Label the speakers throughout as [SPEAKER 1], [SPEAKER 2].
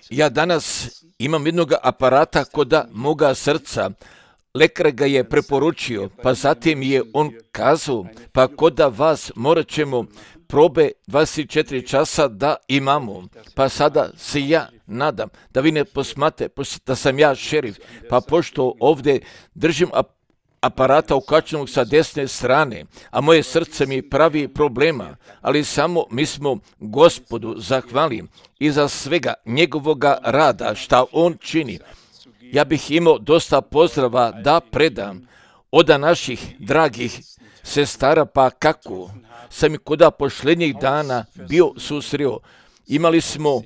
[SPEAKER 1] Ja danas imam jednog aparata koda moga srca. Lekar ga je preporučio, pa zatim je on kazao, pa koda vas morat ćemo probe 24 časa da imamo. Pa sada se ja nadam da vi ne posmate da sam ja šerif, pa pošto ovdje držim aparata ukačenog sa desne strane, a moje srce mi pravi problema, ali samo mi smo Gospodu zahvali i za svega njegovoga rada šta on čini. Ja bih imao dosta pozdrava da predam od naših dragih sestara, pa kako sam i koda posljednjih dana bio susreo. Imali smo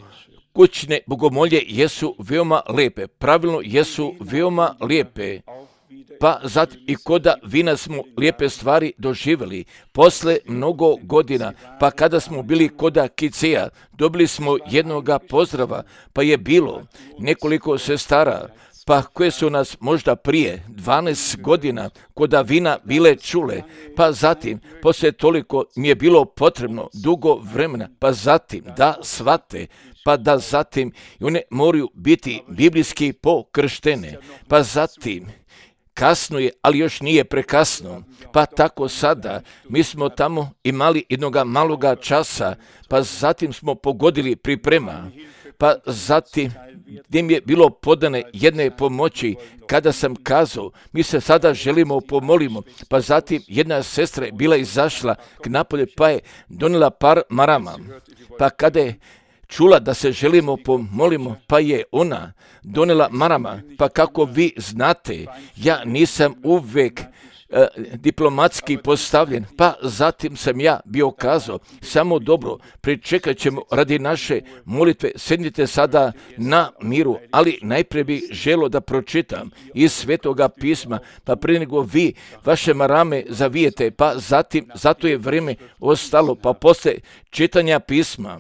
[SPEAKER 1] kućne bogomolje, jesu veoma lepe, pravilno jesu veoma lijepe. Pa zato i koda vina smo lijepe stvari doživjeli. Posle mnogo godina, pa kada smo bili koda Kiceja, dobili smo jednoga pozdrava, pa je bilo nekoliko sestara, pa koje su nas možda prije 12 godina koda vina bile čule, pa zatim, poslije toliko mi je bilo potrebno dugo vremena, pa zatim da shvate, pa da zatim one moraju biti biblijski pokrštene, pa zatim kasno je, ali još nije prekasno. Pa tako sada, mi smo tamo imali jednoga maloga časa, pa zatim smo pogodili priprema, pa zatim gdje mi je bilo podane jedne pomoći, kada sam kazao, mi se sada želimo pomolimo, pa zatim jedna sestra je bila izašla k napolje, pa je donijela par marama, pa kada je čula da se želimo pomolimo, pa je ona donijela marama, pa kako vi znate, ja nisam uvijek diplomatski postavljen, pa zatim sam ja bio kazao, samo dobro, pričekat ćemo radi naše molitve, sednite sada na miru, ali najprije bih želio da pročitam iz Svetoga pisma, pa prije nego vi vaše marame zavijete, pa zatim, zato je vrijeme ostalo, pa poslije čitanja pisma.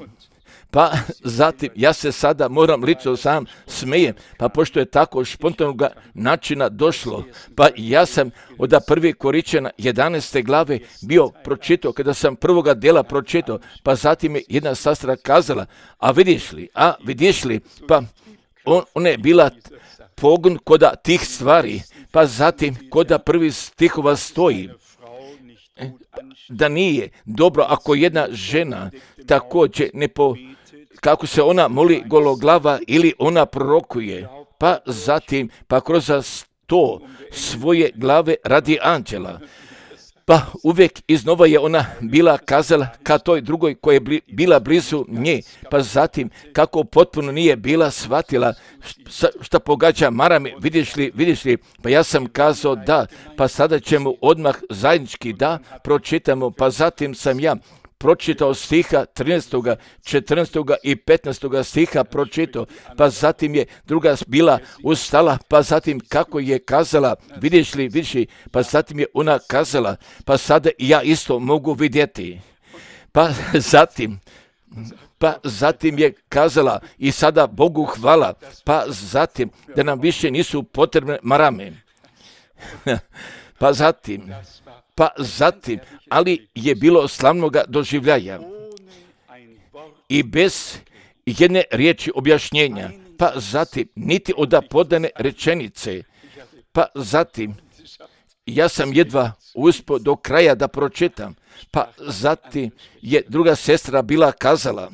[SPEAKER 1] Pa zatim, ja se sada moram lično sam smejem, pa pošto je tako spontanog načina došlo, pa ja sam od 1. Koričana 11. glave bio pročitao, kada sam prvoga dela pročitao, pa zatim je jedna sestra kazala, a vidiš li, pa ona je bila pogon koda tih stvari, pa zatim koda prvi stihova stoji, da nije dobro ako jedna žena također kako se ona moli gologlava ili ona prorokuje, pa zatim, pa kroz to svoje glave radi anđela. Pa uvijek iznova je ona bila kazala ka toj drugoj koja je bila blizu nje, pa zatim kako potpuno nije bila shvatila šta pogađa marame, vidiš li, pa ja sam kazao da, pa sada ćemo odmah zajednički da pročitamo, pa zatim sam ja pročitao stiha 13., 14. i 15. stiha pročitao, pa zatim je druga bila ustala, pa zatim kako je kazala, vidiš li, pa zatim je ona kazala, pa sada i ja isto mogu vidjeti. Pa zatim je kazala i sada Bogu hvala, pa zatim da nam više nisu potrebne marame. Pa zatim, ali je bilo slavnoga doživljaja i bez jedne riječi objašnjenja, pa zatim niti od podane rečenice, pa zatim ja sam jedva uspio do kraja da pročitam, pa zatim je druga sestra bila kazala,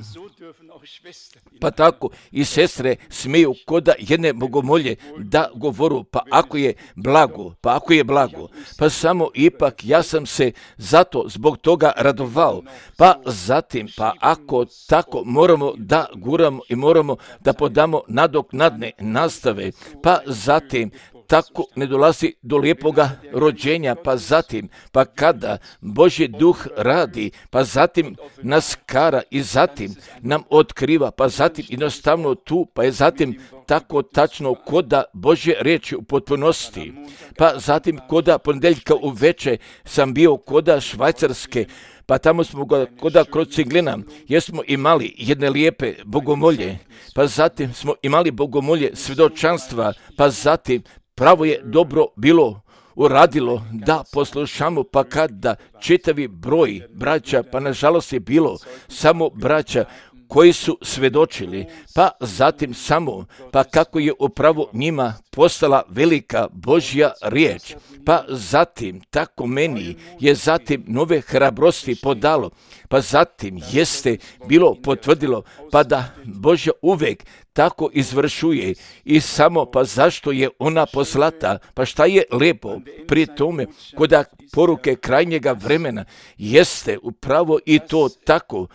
[SPEAKER 1] pa tako i sestre smiju koda jedne bogomolje da govoru, pa ako je blago, pa samo ipak ja sam se zato zbog toga radovao, pa zatim, pa ako tako moramo da guramo i moramo da podamo nadoknadne nastave, pa zatim tako ne dolazi do lijepoga rođenja, pa zatim, pa kada Božji duh radi, pa zatim nas kara i zatim nam otkriva, pa zatim jednostavno tu, pa je zatim tako tačno koda Božje riječi u potpunosti. Pa zatim koda ponedjeljka uveče sam bio koda Švajcarske, pa tamo smo koda kod Ciglina, jer smo imali jedne lijepe bogomolje, pa zatim smo imali bogomolje svjedočanstva, pa zatim pravo je dobro bilo uradilo da poslušamo, pa kada čitavi broj braća, pa nažalost je bilo samo braća koji su svedočili, pa zatim samo, pa kako je upravo njima postala velika Božja riječ, pa zatim tako meni je zatim nove hrabrosti podalo, pa zatim jeste bilo potvrdilo, pa da Božja uvek tako izvršuje i samo pa zašto je ona poslata, pa šta je lepo pri tome kod poruke krajnjega vremena jeste upravo i to tako,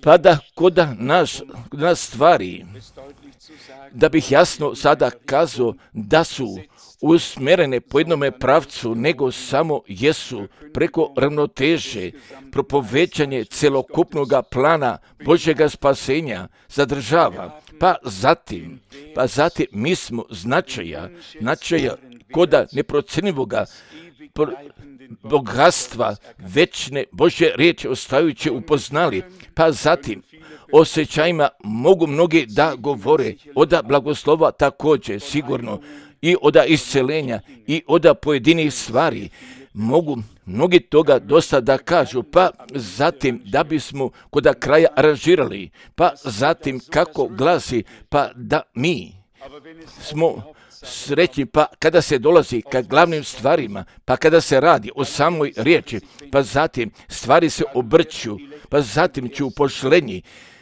[SPEAKER 1] pa da kod nas stvari, da bih jasno sada kazao da su usmjerene po jednome pravcu, nego samo jesu preko ravnoteže, propovećanje celokupnog plana Božjega spasenja zadržava. Pa zatim mi smo značaja koda neprocjenjivoga bogatstva večne Božje riječi ostajući upoznali, pa zatim osjećajima mogu mnogi da govore od blagoslova također sigurno i od isceljenja i od pojedinih stvari. Mogu mnogi toga dosta da kažu, pa zatim da bismo kod kraja aranžirali, pa zatim kako glasi, pa da mi smo srećni, pa kada se dolazi ka glavnim stvarima, pa kada se radi o samoj riječi, pa zatim stvari se obrću, pa zatim ću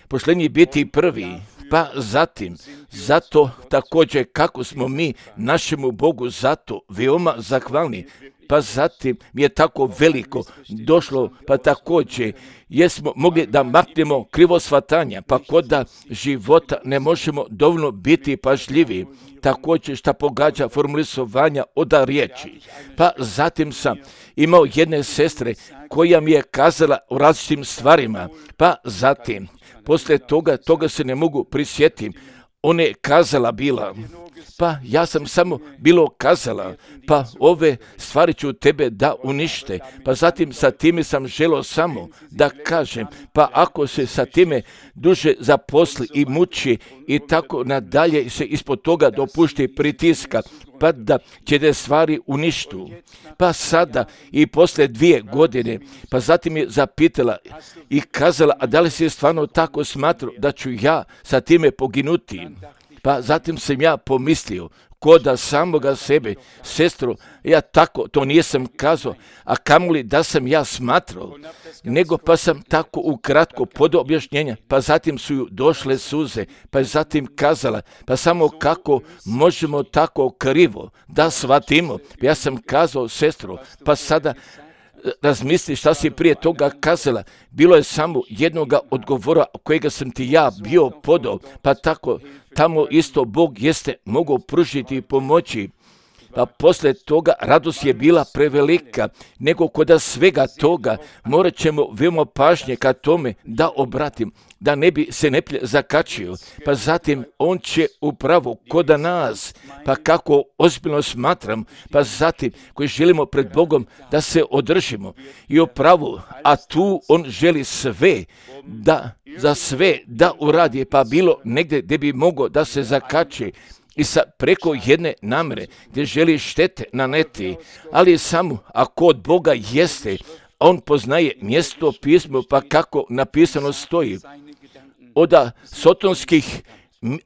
[SPEAKER 1] pošlenji biti prvi, pa zatim, zato također kako smo mi našemu Bogu zato veoma zahvalni, pa zatim je tako veliko došlo, pa također jesmo mogli da maknemo krivo shvatanja, pa kod života ne možemo dovoljno biti pažljivi, također šta pogađa formulisovanja od riječi. Pa zatim sam imao jedne sestre koja mi je kazala o različitim stvarima, pa zatim poslije toga se ne mogu prisjetiti. Ona je kazala bila, pa ja sam samo bilo kazala, pa ove stvari ću tebe da unište, pa zatim sa time sam želio samo da kažem, pa ako se sa time duže zaposli i muči i tako nadalje se ispod toga dopušti pritiska, pa da će te stvari uništu. Pa sada i poslije 2 godine, pa zatim je zapitala i kazala, a da li si stvarno tako smatrao da ću ja sa time poginuti? Pa zatim sam ja pomislio, koda samoga sebe, sestro, ja tako to nisam kazao, a kamoli da sam ja smatrao, nego pa sam tako ukratko pod objašnjenja, pa zatim su ju došle suze, pa je zatim kazala, pa samo kako možemo tako krivo da shvatimo. Ja sam kazao, sestro, pa sada razmisli šta si prije toga kazala, bilo je samo jednoga odgovora kojega sam ti ja bio podao, pa tako tamo isto Bog jeste mogao pružiti i pomoći. Pa poslije toga radost je bila prevelika, nego kod svega toga morat ćemo veoma pažnje ka tome da obratim, da ne bi se neplje zakačio. Pa zatim on će upravo kod nas, pa kako ozbiljno smatram, pa zatim koji želimo pred Bogom da se održimo i upravo, a tu on želi sve za sve da uradi, pa bilo negdje gdje bi mogao da se zakači, i preko jedne namere gdje želi štete naneti, ali samo ako od Boga jeste, on poznaje mjesto pismo, pa kako napisano stoji. Od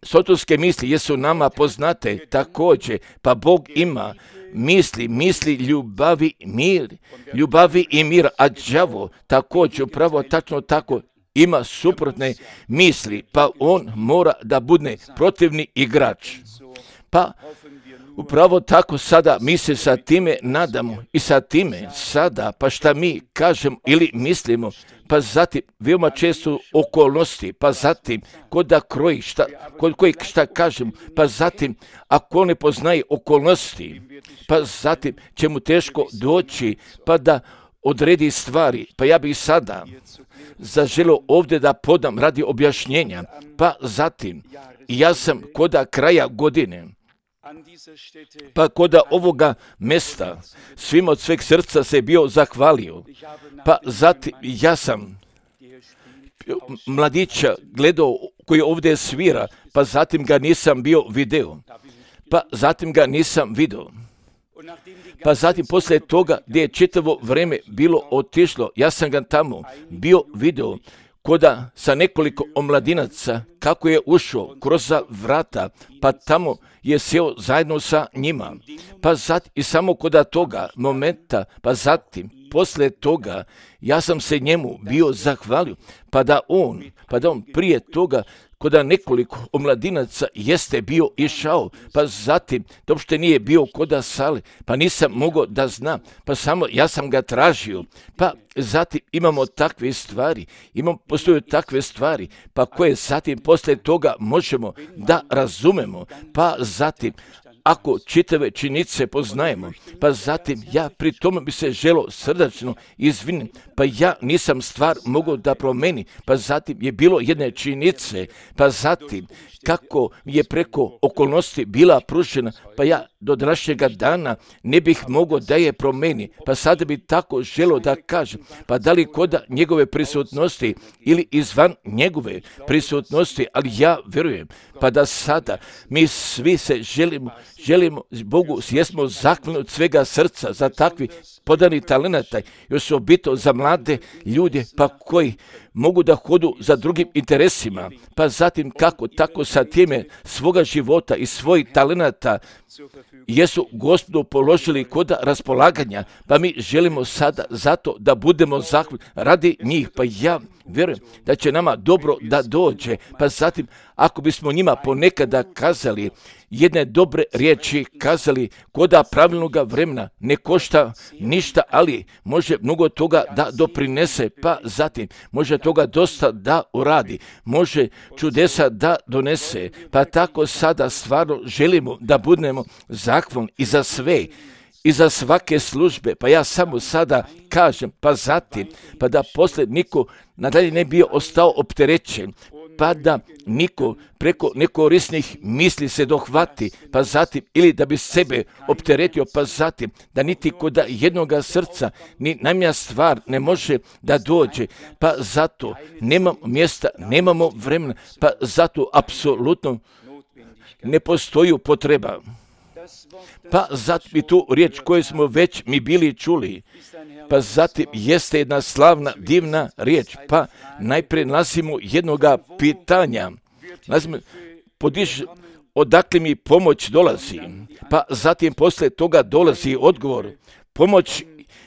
[SPEAKER 1] sotonske misli jesu nama poznate također, pa Bog ima misli ljubavi i mir, a đavo također upravo tačno tako ima suprotne misli, pa on mora da bude protivni igrač. Pa upravo tako sada mi se sa time nadamo i sa time sada, pa šta mi kažemo ili mislimo, pa zatim veoma često okolnosti, pa zatim kod da kroji šta kažemo, pa zatim ako ne poznaje okolnosti, pa zatim će mu teško doći, pa da odredi stvari. Pa ja bih sada zaželio ovdje da podam radi objašnjenja, pa zatim ja sam kod kraja godine, pa kod ovoga mjesta svim od sveg srca se bio zahvalio, pa zatim ja sam mladića gledao koji ovdje svira, pa zatim ga nisam bio video, pa zatim poslije toga gdje je čitavo vrijeme bilo otišlo, ja sam ga tamo bio video koda sa nekoliko omladinaca, kako je ušao kroz vrata, pa tamo je sjeo zajedno sa njima. Pa zatim, i samo koda toga momenta, pa zatim, poslije toga, ja sam se njemu bio zahvalio, pa da on prije toga, koda nekoliko omladinaca jeste bio išao, pa zatim, to uopšte nije bio koda sale, pa nisam mogao da znam, pa samo ja sam ga tražio, pa zatim imamo takve stvari, postoje takve stvari, pa koje zatim poslije toga možemo da razumemo, pa zatim, ako čitave činjenice poznajemo, pa zatim ja pri tome bi se želio srdačno izviniti, pa ja nisam stvar mogao da promeni, pa zatim je bilo jedne činjenice, pa zatim kako je preko okolnosti bila pružena, pa ja do današnjega dana ne bih mogao da je promeni, pa sada bi tako želio da kažem, pa da li koda njegove prisutnosti ili izvan njegove prisutnosti, ali ja vjerujem, pa da sada mi svi se želimo Bogu, jesmo zahvalni od svega srca za takvi podani talenata, još osobito za mlade ljude, pa koji mogu da hodu za drugim interesima, pa zatim kako tako sa time svoga života i svojih talenata jesu Gospodu položili kod raspolaganja, pa mi želimo sada zato da budemo zahvalni radi njih, pa ja vjerujem da će nama dobro da dođe, pa zatim ako bismo njima ponekada kazali jedne dobre riječi, kazali koda pravilnoga vremena, ne košta ništa, ali može mnogo toga da doprinese, pa zatim može toga dosta da uradi, može čudesa da donese, pa tako sada stvarno želimo da budemo zahvalni i za sve, i za svake službe, pa ja samo sada kažem, pa zatim, pa da poslije niko nadalje ne bio ostao opterećen, pa da niko preko nekorisnih misli se dohvati, pa zatim, ili da bi sebe opteretio, pa zatim, da niti kod jednoga srca ni najmanja stvar ne može da dođe, pa zato nemamo mjesta, nemamo vremena, pa zato apsolutno ne postoji potreba. Pa zatim i tu riječ koju smo već mi bili čuli, pa zatim jeste jedna slavna, divna riječ, pa najprije nalazimo jednoga pitanja, odakle mi pomoć dolazi, pa zatim poslije toga dolazi odgovor, pomoć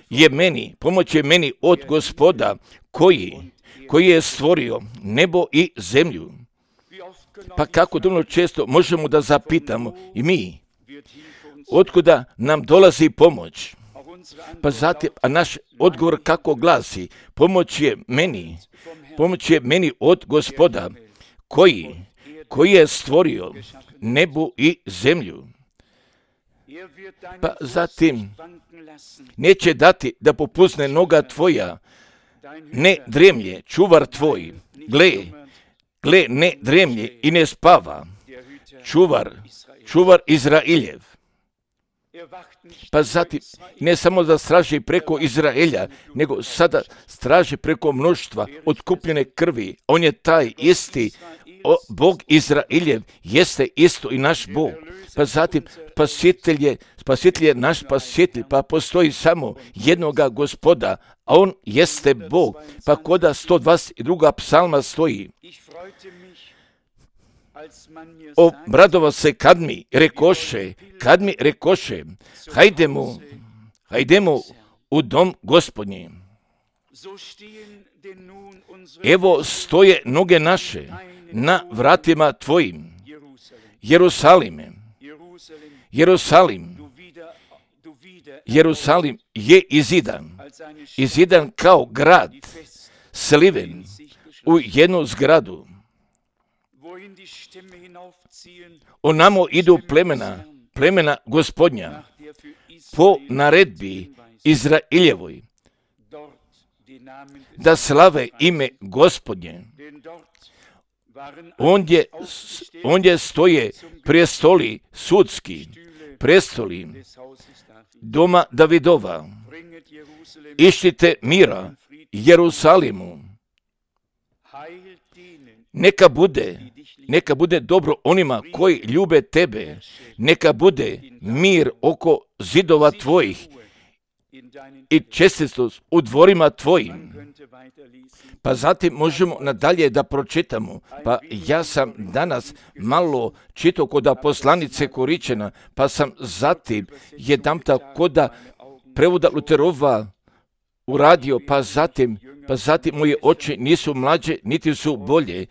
[SPEAKER 1] je meni od Gospoda koji je stvorio nebo i zemlju. Pa kako dovoljno često možemo da zapitamo i mi, otkuda nam dolazi pomoć? Pa zatim, a naš odgovor kako glasi, pomoć je meni od Gospoda, koji je stvorio nebu i zemlju. Pa zatim, neće dati da popuzne noga tvoja, ne dremlje, čuvar tvoj, gle, ne dremlje i ne spava, čuvar Izraeljev. Pa zatim, ne samo da straži preko Izraelja, nego sada straži preko mnoštva otkupljene krvi. On je taj isti, Bog Izraeljev, jeste isto i naš Bog. Pa zatim, spasitelj je naš spasitelj, pa postoji samo jednoga Gospoda, a on jeste Bog. Pa koda 122. psalma stoji, obradova se kad mi rekoše, hajdemo u dom Gospodnji. Evo stoje noge naše na vratima tvojim, Jerusalim je izidan kao grad, sliven u jednu zgradu. Onamo idu plemena Gospodnja, po naredbi Izraeljevoj, da slave ime Gospodnje. Ondje stoje prestoli sudski, prestoli doma Davidova. Išćite mira Jerusalimu. Neka bude dobro onima koji ljube tebe, neka bude mir oko zidova tvojih i čestitost u dvorima tvojim. Pa zatim možemo nadalje da pročitamo. Pa ja sam danas malo čitao kod poslanice Koričana, pa sam zatim jedanputa kod prevoda Luterova uradio, pa zatim moje oči nisu mlađe, niti su bolje.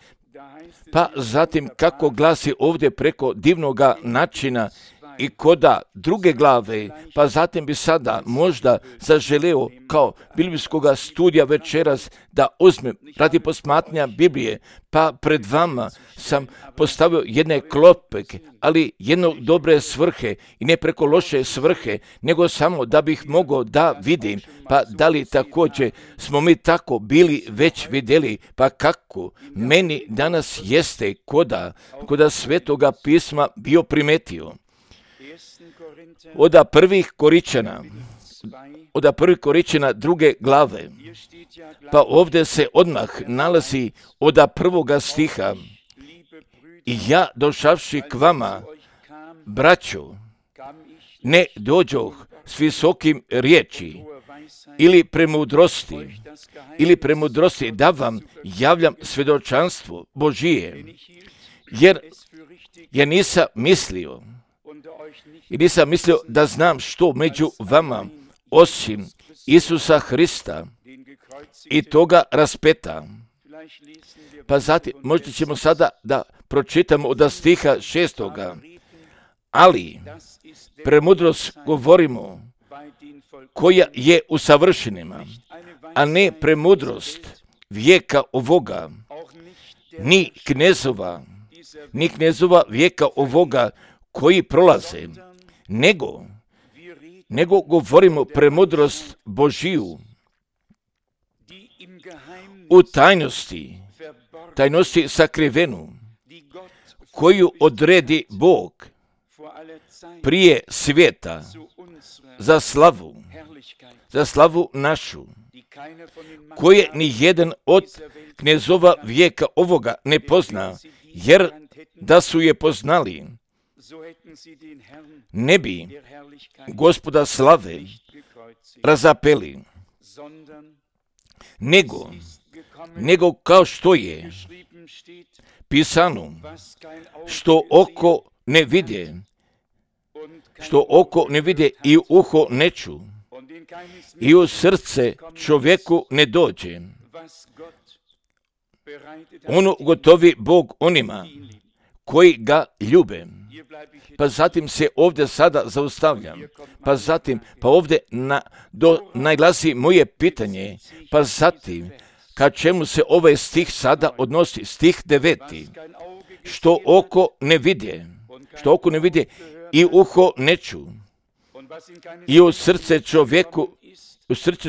[SPEAKER 1] Pa zatim kako glasi ovdje preko divnoga načina i koda druge glave, pa zatim bi sada možda zaželeo kao biblijskoga studija večeras da uzmem radi posmatranja Biblije, pa pred vama sam postavio jedne klopke, ali jedno dobre svrhe i ne preko loše svrhe, nego samo da bih mogao da vidim, pa da li također smo mi tako bili već vidjeli, pa kako meni danas jeste koda Svetoga pisma bio primetio. Od prvih Koričana druge glave, pa ovdje se odmah nalazi od prvoga stiha: i ja došavši k vama, braćo, ne dođoh s visokim riječi ili premudrosti da vam javljam svjedočanstvo Božije, jer nisam mislio da znam što među vama osim Isusa Hrista i toga raspeta. Pa zatim možda ćemo sada da pročitamo od stiha 6. Ali premudrost govorimo koja je u savršenima, a ne premudrost vijeka ovoga, ni knezova vijeka ovoga koji prolaze, nego govorimo premudrost Božiju u tajnosti sakrivenu, koju odredi Bog prije svijeta za slavu našu, koje ni jedan od knezova vijeka ovoga ne pozna, jer da su je poznali, ne bi Gospoda slave razapeli, nego kao što je pisano, što oko ne vide i uho ne ču, i u srce čovjeku ne dođe. Ono gotovi Bog onima koji ga ljube. Pa zatim se ovdje sada zaustavljam. Pa ovdje najglasi moje pitanje. Pa zatim, ka čemu se ovaj stih sada odnosi? Stih 9. Što oko ne vidje i uho ne ču, i u srce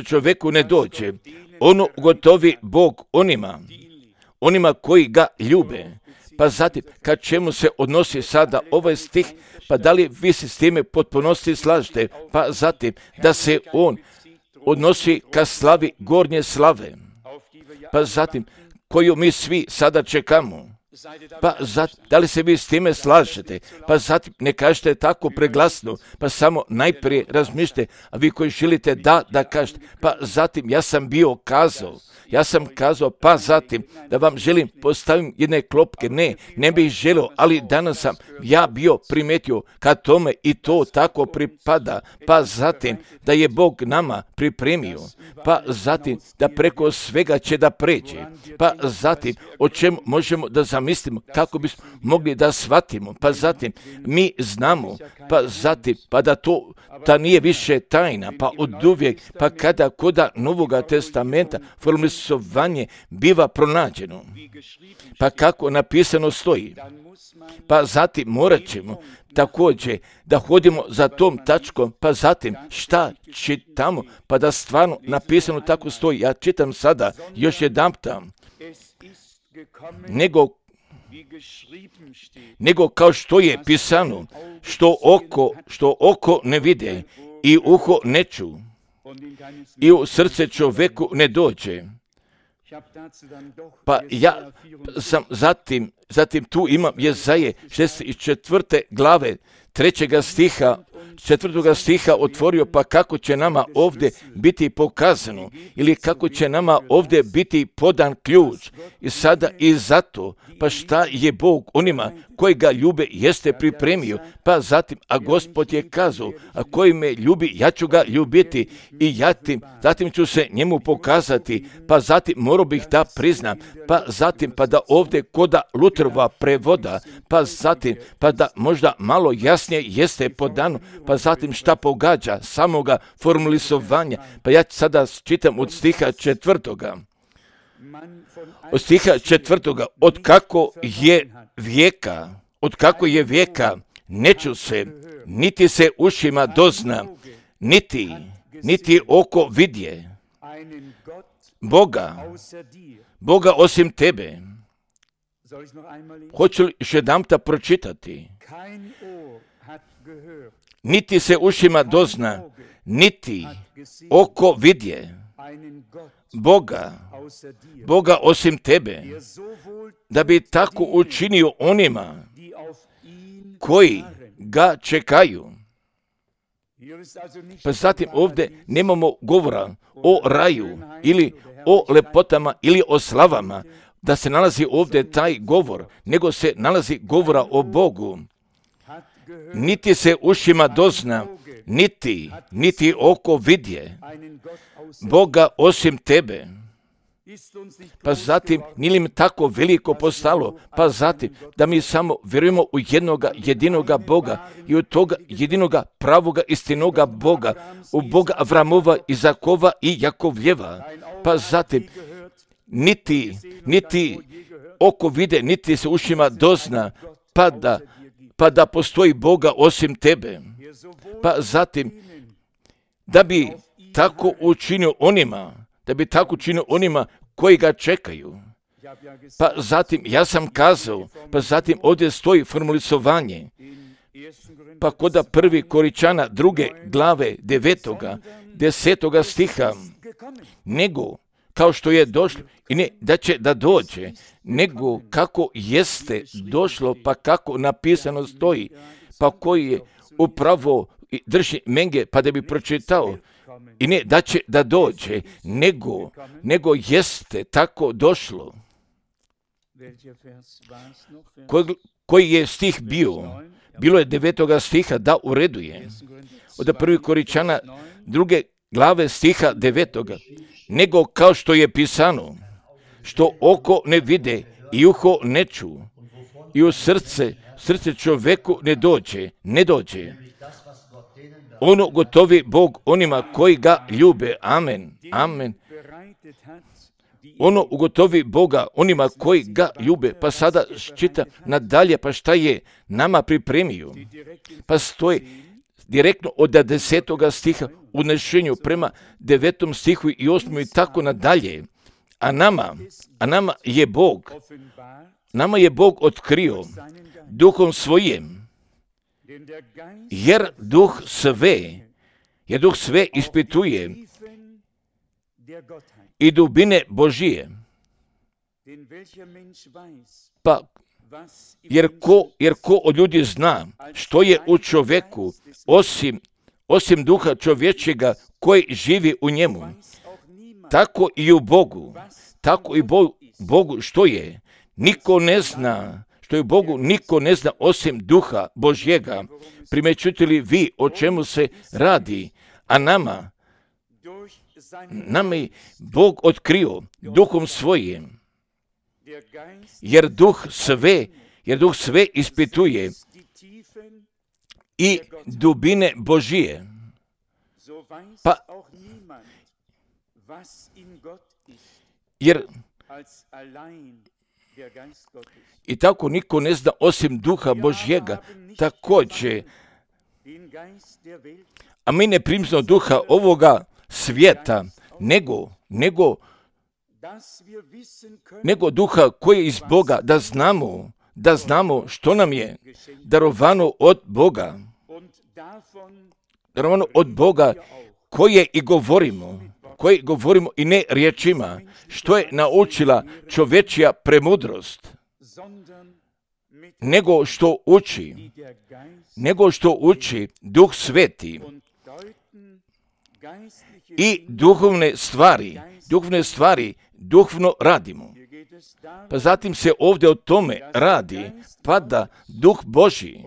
[SPEAKER 1] čovjeku ne dođe. Ono gotovi Bog onima koji ga ljube. Pa zatim, ka čemu se odnosi sada ovaj stih, pa da li vi se s time potpunosti slažete? Pa zatim, da se on odnosi ka slavi gornje slave, pa zatim, koju mi svi sada čekamo. Pa zatim, da li se vi s time slažete? Pa zatim, ne kažete tako preglasno, pa samo najprije razmišljate, a vi koji želite da kažete. Pa zatim, ja sam kazao, pa zatim, da vam želim postavim jedne klopke, ne bih želio, ali danas sam ja bio primetio kad tome i to tako pripada, pa zatim, da je Bog nama pripremio, pa zatim, da preko svega će da pređe, pa zatim, o čemu možemo da zamislimo, kako bismo mogli da shvatimo, pa zatim, mi znamo, pa zatim, pa da to nije više tajna, pa oduvijek, pa kada koda Novoga testamenta formalizovanje biva pronađeno, pa kako napisano stoji, pa zatim morat ćemo također da hodimo za tom tačkom, pa zatim šta čitamo, pa da stvarno napisano tako stoji. Ja čitam sada još jedanputa, nego kao što je pisano, što oko ne vide i uho ne ču, i u srce čovjeku ne dođe. Pa ja sam zatim tu imam Jezaje 64. glave 3. stiha, 4. stiha otvorio, pa kako će nama ovdje biti pokazano ili kako će nama ovdje biti podan ključ. I sada i zato, pa šta je Bog onima koji ga ljube jeste pripremio, pa zatim, a Gospod je kazao, a koji me ljubi, ja ću ga ljubiti i zatim ću se njemu pokazati, pa zatim morao bih da priznam, pa zatim, pa da ovdje koda Luterova prevoda, pa zatim, pa da možda malo jasnije jeste podano, pa zatim šta pogađa samoga formulizovanja, pa ja sada čitam od stiha 4. Od stiha 4. Od kako je vijeka, neću se, niti se ušima dozna, niti oko vidje, Boga osim tebe. Hoću li još jedanputa pročitati? Niti se ušima dozna, niti oko vidje, Boga osim tebe, da bi tako učinio onima koji ga čekaju. Pa zatim ovdje nemamo govora o raju ili o lepotama ili o slavama, da se nalazi ovdje taj govor, nego se nalazi govora o Bogu. Niti se ušima dozna, niti oko vidje, Boga osim tebe. Pa zatim, nije li mi tako veliko postalo, pa zatim, da mi samo vjerujemo u jednoga jedinoga Boga i u toga jedinoga pravoga istinoga Boga, u Boga Avramova, Izakova i Jakovljeva. Pa zatim, niti oko vide, niti se ušima dozna, pa da postoji Boga osim tebe. Pa zatim, da bi tako učinio onima koji ga čekaju. Pa zatim, ja sam kazao, pa zatim ovdje stoji formulizovanje, pa koda 1. Koričana 2. glave 9. 10. stiha, nego kao što je došlo, i ne da će da dođe, nego kako jeste došlo, pa kako napisano stoji, pa koji je upravo drži menge, pa da bi pročitao, i ne da će da dođe, nego jeste tako došlo. Koji je stih bio? Bilo je 9. stiha, da ureduje. Od 1. Koričana 2. glave stiha 9. Nego kao što je pisano, što oko ne vide i uho ne ču, i u srce čoveku ne dođe. Ono gotovi Bog onima koji ga ljube. Amen. Amen. Ono ugotovi Boga onima koji ga ljube. Pa sada čita nadalje, pa šta je nama pripremio. Pa stoji direktno od 10. stiha u nešenju prema 9. stihu i 8. i tako nadalje. A nama je Bog otkrio duhom svojim, jer duh sve ispituje i dubine Božije. Pa, jer ko od ljudi zna što je u čovjeku, osim duha čovječega koji živi u njemu, tako i u Bogu, Bogu što je. Niko ne zna, što je Bogu niko ne zna osim duha Božjega. Primećujete li vi o čemu se radi? A nama je Bog otkrio duhom svojim, jer duh sve ispituje i dubine Božije. Pa, jer i tako niko ne zna osim duha Božjega također. A mi ne primimo duha ovoga svijeta, nego duha koji je iz Boga, da znamo što nam je darovano od Boga, koje i govorimo i ne riječima, što je naučila čovječja premudrost, nego što uči Duh Sveti i duhovne stvari duhovno radimo. Pa zatim se ovdje o tome radi, pa da Duh Božji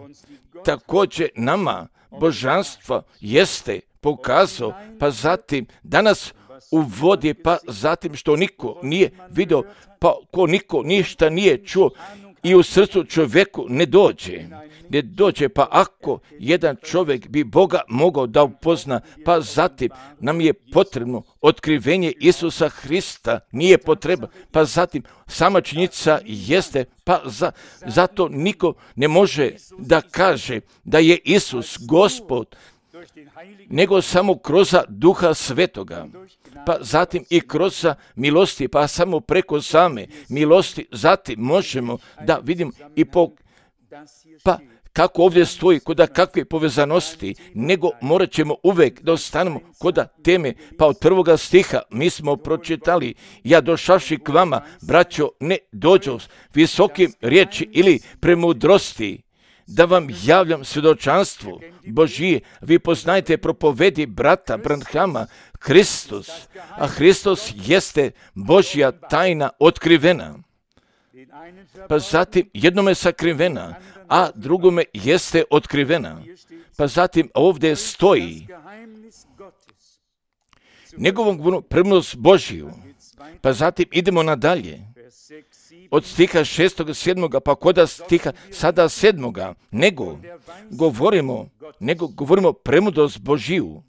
[SPEAKER 1] također nama božanstvo jeste pokazao, pa zatim danas uvodi, pa zatim što niko nije vidio, pa ko niko ništa nije čuo i u srcu čovjeku ne dođe, pa ako jedan čovjek bi Boga mogao da upozna, pa zatim nam je potrebno otkrivenje Isusa Hrista, nije potreba, pa zatim sama činjenica jeste, pa zato niko ne može da kaže da je Isus Gospod, nego samo kroz Duha Svetoga, pa zatim i kroz milosti, pa samo preko same milosti, zatim možemo da vidimo i pa kako ovdje stoji, kod kakve povezanosti, nego morat ćemo uvijek da ostanemo kod teme, pa od 1. stiha mi smo pročitali, ja došavši k vama, braćo, ne dođu s visokim riječi ili premudrosti, da vam javljam svjedočanstvo Božije. Vi poznajte propovedi brata Branhama, Hristos, a Hristos jeste Božja tajna otkrivena. Pa zatim jednome sakrivena, a drugome jeste otkrivena. Pa zatim ovdje stoji njegovom premudrost Božiju. Pa zatim idemo nadalje. Od stiha 6. 7. pa koda stiha sada 7. nego govorimo premudrost Božiju.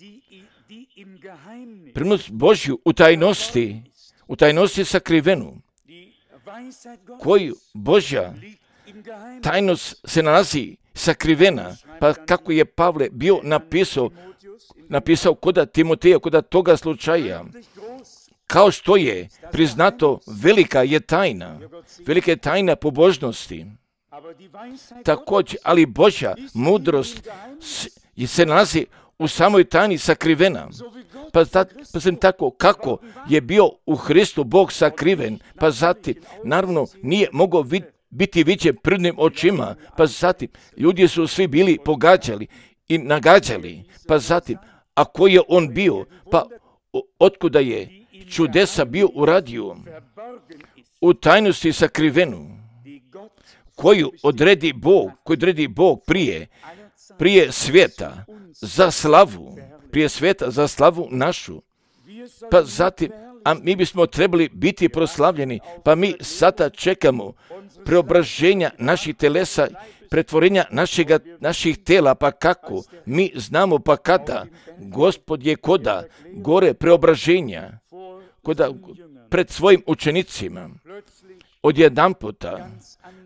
[SPEAKER 1] Premudrost Božju u tajnosti sakrivenu, koju Božja tajnost se nalazi sakrivena, pa kako je Pavle bio napisao kod Timoteja, kod toga slučaja, kao što je priznato, velika je tajna pobožnosti. Također, ali Božja mudrost se nalazi u samoj tajni sakrivena. Pa sam tako kako je bio u Hristu Bog sakriven, pa zatim, naravno, nije mogao biti viđen prvnim očima, pa zatim, ljudi su svi bili pogađali i nagađali, pa zatim, a koji je on bio, pa otkuda je čudesa bio uradio u tajnosti sakrivenu, koju odredi Bog prije svijeta za slavu našu. Pa zatim, a mi bismo trebali biti proslavljeni, pa mi sada čekamo preobraženja naših telesa, pretvorenja naših tela, pa kako? Mi znamo pa kada. Gospod je koda gore preobraženja, pred svojim učenicima. Odjedanputa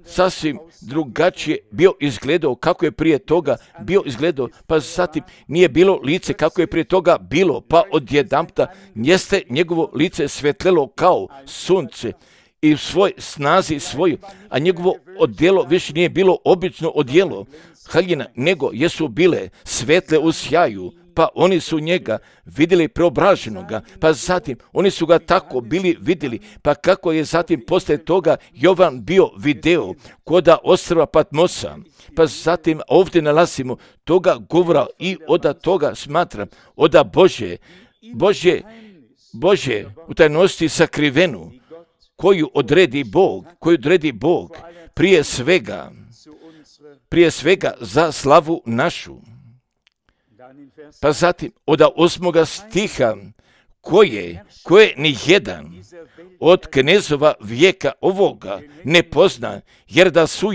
[SPEAKER 1] sasvim drugačije bio izgledao kako je prije toga bio izgledao, pa zatim nije bilo lice kako je prije toga bilo, pa odjedanputa jeste njegovo lice svetlelo kao sunce i u svoj snazi svoju, a njegovo odjelo više nije bilo obično odjelo haljina, nego jesu bile svetle u sjaju, pa oni su njega vidjeli preobraženoga, pa zatim oni su ga tako bili vidjeli, pa kako je zatim poslije toga Jovan bio video koda ostrva Patmosa, pa zatim ovdje nalazimo toga govora i od toga smatram, od Božje u tajnosti sakrivenu, koju odredi Bog prije svega za slavu našu. Pa zatim od 8. stiha koje ni jedan od knezova vijeka ovoga ne pozna, jer da su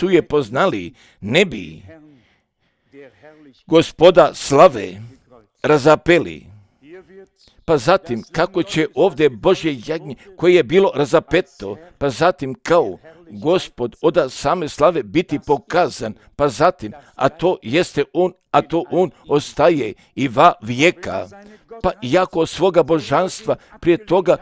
[SPEAKER 1] je poznali, ne bi Gospoda slave razapeli. Pa zatim kako će ovdje Božje jagnje koje je bilo razapeto, pa zatim kao Gospod od same slave biti pokazan, pa zatim, a to on ostaje i va vijeka, pa iako svoga božanstva prije toga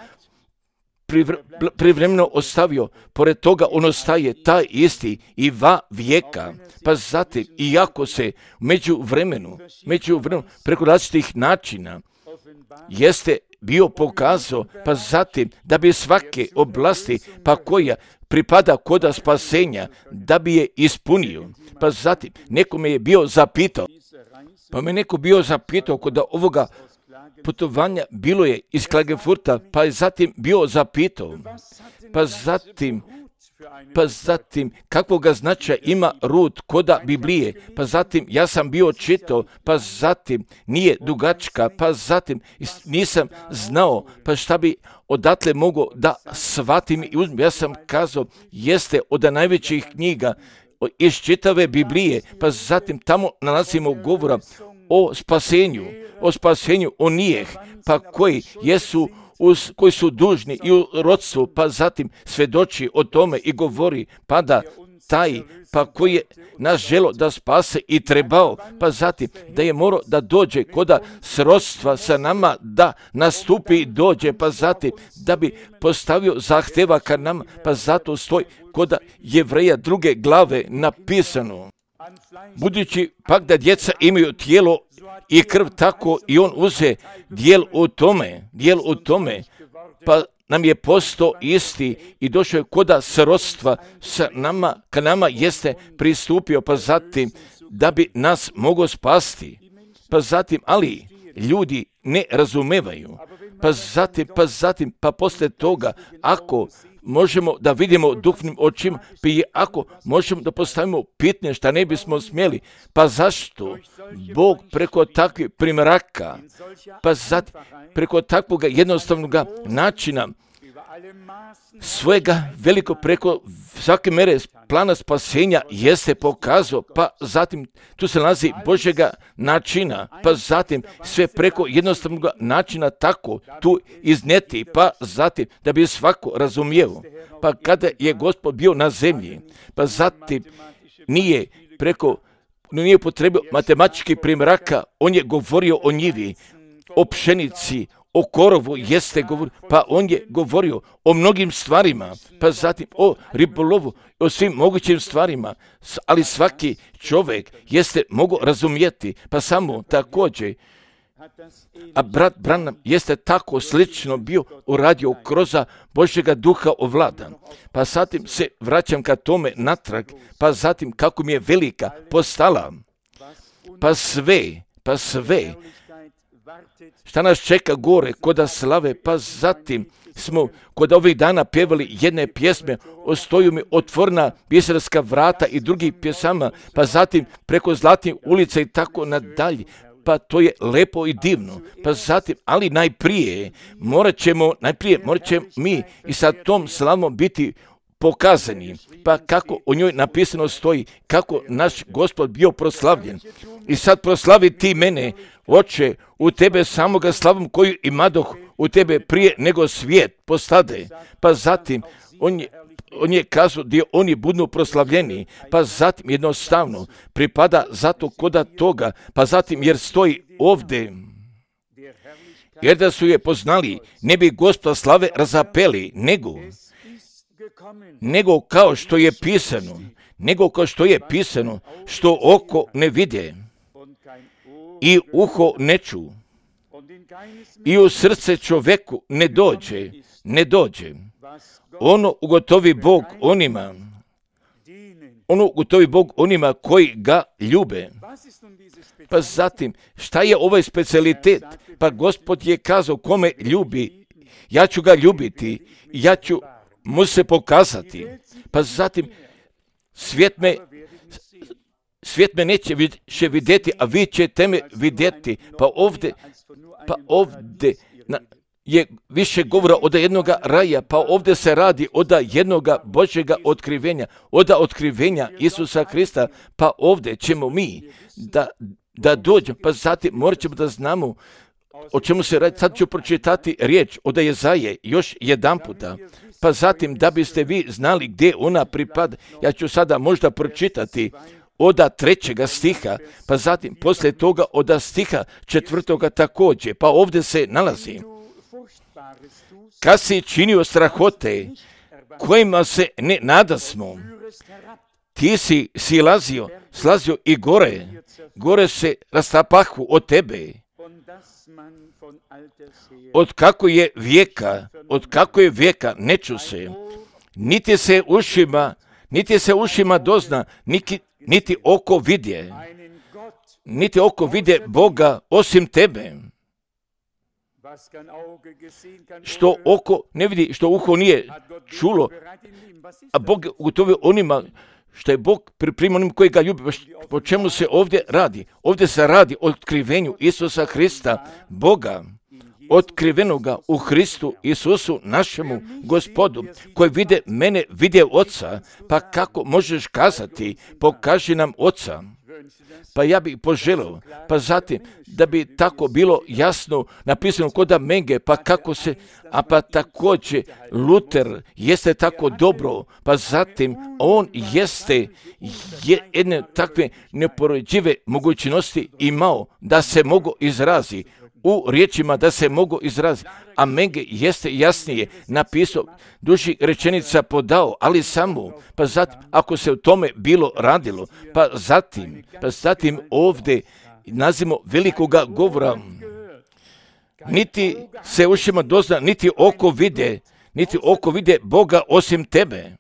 [SPEAKER 1] privremeno ostavio, pored toga on ostaje taj isti i va vijeka, pa zatim, iako se među vremenu preko različitih načina jeste bio pokazao, pa zatim da bi svake oblasti, pa koja pripada koda spasenja, da bi je ispunio. Pa zatim nekome je bio zapitao, pa me neko bio zapitao kod ovoga putovanja, bilo je iz Klagenfurta, pa je zatim bio zapitao, pa zatim kakvoga značaja ima Rut koda Biblije, pa zatim ja sam bio čitao, pa zatim nije dugačka, pa zatim nisam znao, pa šta bi odatle mogao da shvatim i uzmem. Ja sam kazao, jeste od najvećih knjiga iz čitave Biblije, pa zatim tamo nalazimo govora o spasenju onih, pa koji su dužni i u rodstvu, pa zatim svedoči o tome i govori, pa da taj, pa koji je nas želo da spase i trebao, pa zatim da je morao da dođe koda srodstva sa nama, da nastupi i dođe, pa zatim da bi postavio zahteva ka nama, pa zato stoji koda Jevreja 2. glave napisano. Budući pak da djeca imaju tijelo i krv, tako i on uze dijel u tome, pa nam je postao isti i došao je koda srodstva sa nama, ka nama jeste pristupio, pa zatim da bi nas mogao spasti. Pa zatim, ali ljudi ne razumevaju. Pa poslije toga, ako možemo da vidimo duhovnim očima, ako možemo da postavimo pitanje šta ne bismo smjeli, pa zašto Bog preko takvih primjeraka, pa zatim preko takvog jednostavnog načina svojega veliko preko svake mere plana spasenja jeste pokazao, pa zatim tu se nalazi Božjega načina, pa zatim sve preko jednostavnog načina tako tu izneti, pa zatim da bi svako razumio. Pa kada je Gospod bio na zemlji, pa zatim nije potrebio matematičkih primjeraka, on je govorio o njivi, o pšenici, o korovu jeste govorio, pa on je govorio o mnogim stvarima, pa zatim o ribolovu, o svim mogućim stvarima, ali svaki čovjek jeste mogao razumjeti, pa samo također, a brat Branham jeste tako slično bio uradio kroz Božjega duha ovlada. Pa zatim se vraćam ka tome natrag, pa zatim kako mi je velika postala, pa sve, šta nas čeka gore koda slave, pa zatim smo kod ovih dana pjevali jedne pjesme, ostaju mi otvorena pjesarska vrata i drugih pjesama, pa zatim preko zlatnih ulica i tako nadalje, pa to je lepo i divno, pa zatim, ali najprije morat ćemo mi i sa tom slavom biti pokazani, pa kako o njoj napisano stoji, kako naš Gospod bio proslavljen. I sad proslavi ti mene, Oče, u tebe samoga slavom koju imadoh u tebe prije nego svijet postade. Pa zatim, on je kazao gdje oni budu proslavljeni, pa zatim jednostavno pripada zato koda toga, pa zatim jer stoji ovdje, jer da su je poznali, ne bi Gospoda slave razapeli, nego kao što je pisano, što oko ne vide i uho ne ču i u srce čoveku ne dođe. Ono ugotovi Bog onima koji ga ljube. Pa zatim, šta je ovaj specijalitet? Pa Gospod je kazao kome ljubi, ja ću ga ljubiti, ja ću mu se pokazati. Pa zatim, svijet me neće više vidjeti, a vi ćete me vidjeti. Pa ovdje je više govora od jednoga raja, pa ovdje se radi od jednoga Božjega otkrivenja, od otkrivenja Isusa Krista, pa ovdje ćemo mi da dođemo, pa zatim morat ćemo da znamo o čemu se radi. Sad ću pročitati riječ od Jezaje još jedan puta, pa zatim da biste vi znali gdje ona pripada, ja ću sada možda pročitati od 3. stiha, pa zatim poslije toga od stiha 4. također, pa ovdje se nalazi. Kad si činio strahote kojima se ne nadasmo, ti si slazio i gore se rastapahu od tebe od kako je vijeka ne ču se, niti se ušima dozna, niti oko vidje Boga osim tebe. Što oko ne vidi, što uho nije čulo, a Bog ugotovio onima što je Bog pripremio onim koji ga ljubi. Po čemu se ovdje radi? Ovdje se radi o otkrivenju Isusa Hrista, Boga, otkrivenoga u Hristu Isusu, našemu Gospodu, koji vide mene, vide Oca. Pa kako možeš kazati, pokaži nam Oca? Pa ja bih poželio, pa zatim, da bi tako bilo jasno napisano kod Menge, pa kako se, a pa također Luter jeste tako dobro, pa zatim on jeste jedne takve neporodive mogućnosti imao da se mogu izrazi u riječima, da se mogu izraziti, a Menge jeste jasnije napisao, duži rečenica podao, ali samo, pa zatim, ako se u tome bilo radilo, pa zatim ovdje nazimo velikoga govora, niti se ušima dozna, niti oko vide Boga osim tebe.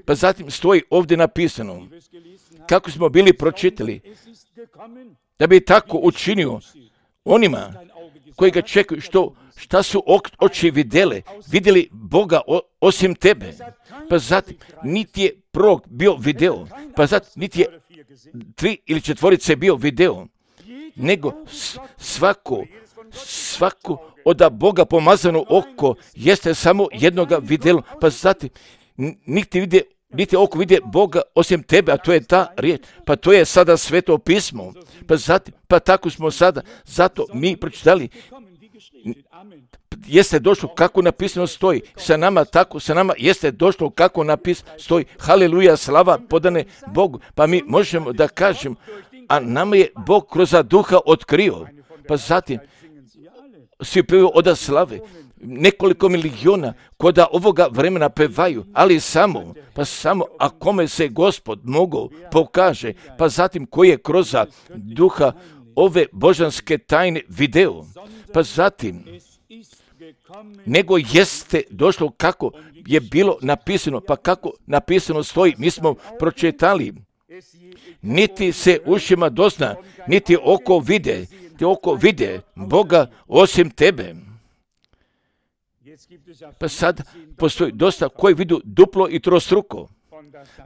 [SPEAKER 1] Pa zatim stoji ovdje napisano, kako smo bili pročitali, da bi tako učinio onima koji ga čekaju, šta su oči vidjeli Boga osim tebe. Pa zatim, niti je prorok bio video, pa zatim, niti je 3 ili 4 bio video, nego svako od Boga pomazano oko jeste samo jednoga vidjelo, pa zatim, niti oko vidje Boga osim tebe, a to je ta riječ, pa to je sada Sveto pismo, pa zatim, pa tako smo sada, zato mi pročitali, jeste došlo kako napisano stoji, sa nama jeste došlo kako napisano stoji, haleluja, slava podane Bogu, pa mi možemo da kažemo, a nama je Bog kroz duha otkrio, pa zatim, svi pevaju od slave, nekoliko miliona koda ovoga vremena pevaju, ali samo a kome se Gospod mogao pokaže, pa zatim koji je kroz duha ove božanske tajne video, pa zatim nego jeste došlo kako je bilo napisano, pa kako napisano stoji, mi smo pročitali, niti se ušima dozna, niti oko vide Boga osim tebe. Pa sad postoji dosta koji vidu duplo i trostruko.